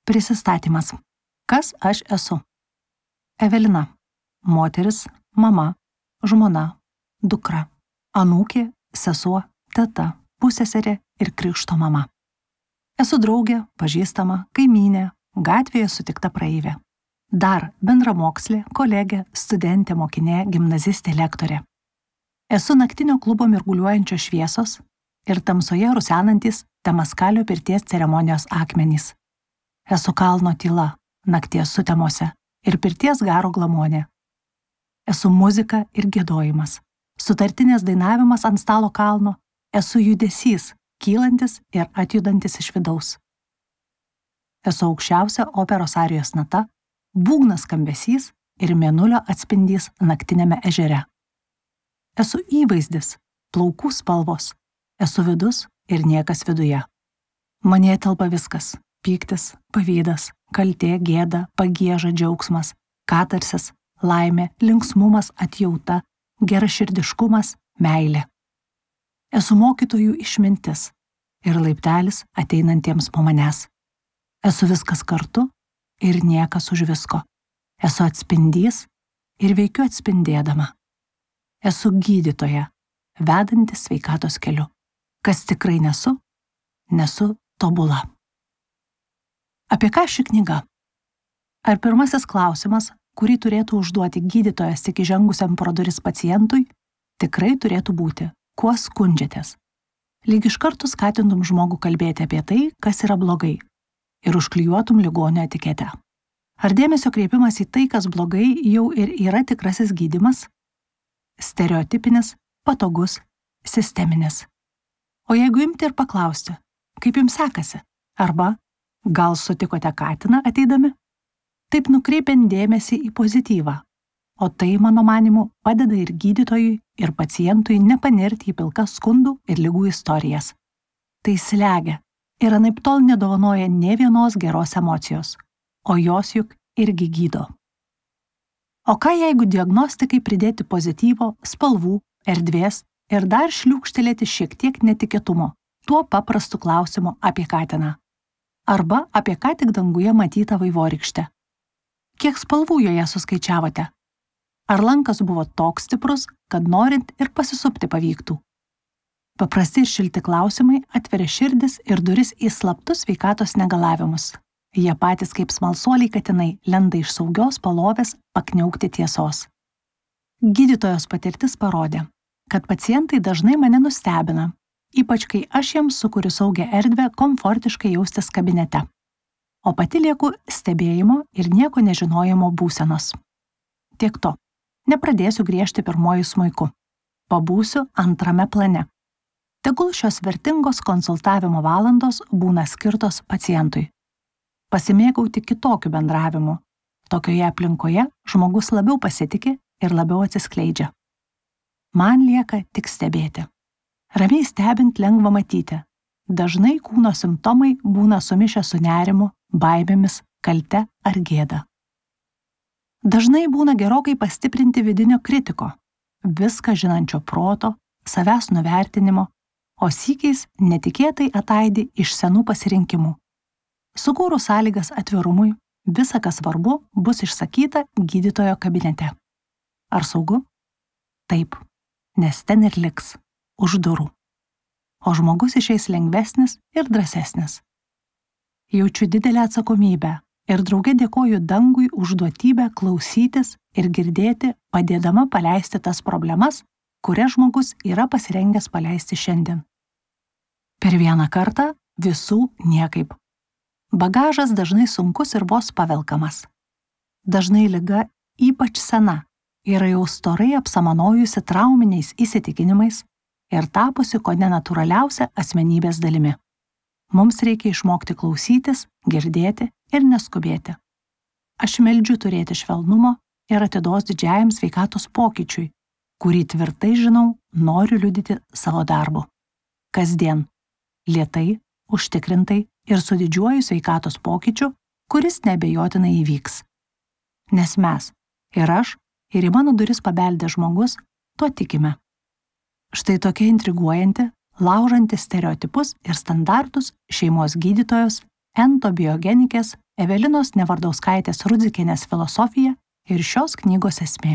Prisistatymas. Kas aš esu? Evelina. Moteris, mama, žmona, dukra, anūkė, sesuo, teta, pusseserė ir krikšto mama. Esu draugė, pažįstama, kaimynė, gatvėje sutikta praeivė. Dar bendramokslė, kolegė, studentė, mokinė, gimnazistė, lektorė. Esu naktinio klubo mirguliuojančios šviesos ir tamsoje rusenantis Temaskalio pirties ceremonijos akmenys. Esu kalno tyla, nakties sutemose ir pirties garo glamonė. Esu muzika ir giedojimas, sutartinės dainavimas ant stalo kalno, esu judesys, kylantis ir atjudantis iš vidaus. Esu aukščiausia operos arijos nata, būgnas skambesys ir mėnulio atspindys naktinėme ežere. Esu įvaizdis, plaukų spalvos, esu vidus ir niekas viduje. Manyje telpa viskas – pyktis, pavydas, kaltė, gėda, pagieža, džiaugsmas, katarsis, laimė, linksmumas, atjauta, geraširdiškumas, meilė. Esu mokytojų išmintis ir laiptelis ateinantiems po manęs. Esu viskas kartu ir niekas už visko. Esu atspindys ir veikiu atspindėdama. Esu gydytoja, vedantis sveikatos keliu. Kas tikrai nesu tobula. Apie ką ši knyga? Ar pirmasis klausimas, kurį turėtų užduoti gydytojas tik įžengusiam pro duris pacientui, tikrai turėtų būti, kuo skundžiatės? Lyg iš karto skatintum žmogų kalbėti apie tai, kas yra blogai, ir užklijuotum ligonio etiketę. Ar dėmesio kreipimas į tai, kas blogai, jau ir yra tikrasis gydymas? Stereotipinis, patogus, sisteminis. O jeigu imti ir paklausti, kaip jums sekasi? Arba, gal sutikote katiną ateidami? Taip nukreipiant dėmesį į pozityvą. O tai, mano manimu, padeda ir gydytojui, ir pacientui nepanirti į pilkas skundų ir ligų istorijas. Tai slegia ir anaiptol nedovanoja nė vienos geros emocijos, o jos juk irgi gydo. O ką jeigu diagnostikai pridėti pozityvo, spalvų, erdvės ir dar šliūkštelėti šiek tiek netikėtumo, tuo paprastu klausimu apie katiną. Arba apie ką tik danguje matytą vaivorykštę. Kiek spalvų joje suskaičiavote? Ar lankas buvo toks stiprus, kad norint ir pasisupti pavyktų? Paprasti ir šilti klausimai atveria širdis ir duris į slaptus sveikatos negalavimus. Jie patys kaip smalsuoliai katinai lenda iš saugios palovės pakniaukti tiesos. Gydytojos patirtis parodė, kad pacientai dažnai mane nustebina, ypač kai aš jiems sukuriu saugią erdvę komfortiškai jaustis kabinete. O pati lieku stebėjimo ir nieko nežinojimo būsenos. Tiek to, nepradėsiu griežti pirmuoju smuiku. Pabūsiu antrame plane. Tegul šios vertingos konsultavimo valandos būna skirtos pacientui. Pasimėgauti kitokiu bendravimu. Tokioje aplinkoje žmogus labiau pasitiki ir labiau atsiskleidžia. Man lieka tik stebėti. Ramiai stebint lengva matyti. Dažnai kūno simptomai būna sumišę su nerimu, baimėmis, kalte ar gėda. Dažnai būna gerokai pastiprinti vidinio kritiko, viską žinančio proto, savęs nuvertinimo, o sykiais netikėtai ataidi iš senų pasirinkimų. Sukūrus sąlygas atvirumui, visa, kas svarbu, bus išsakyta gydytojo kabinete. Ar saugu? Taip, nes ten ir liks, už durų. O žmogus išeis lengvesnis ir drąsesnis. Jaučiu didelę atsakomybę ir drauge dėkoju dangui už duotybę klausytis ir girdėti, padėdama paleisti tas problemas, kurias žmogus yra pasirengęs paleisti šiandien. Per vieną kartą visų niekaip. Bagažas dažnai sunkus ir vos pavelkamas. Dažnai liga, ypač sena, yra jau storai apsamanojusi trauminiais įsitikinimais ir tapusi kone natūraliausia asmenybės dalimi. Mums reikia išmokti klausytis, girdėti ir neskubėti. Aš meldžiu turėti švelnumo ir atidos didžiajam sveikatos pokyčiui, kurį tvirtai žinau, noriu liudyti savo darbu. Kasdien, lėtai, užtikrintai ir su didžiuoju sveikatos pokyčiu, kuris neabejotinai įvyks. Nes mes, ir aš, ir į mano duris pabeldė žmogus, tuo tikime. Štai tokia intriguojanti, laužanti stereotipus ir standartus šeimos gydytojos, entobiogenikės Evelinos Nevardauskaitės Rudzikienės filosofija ir šios knygos esmė.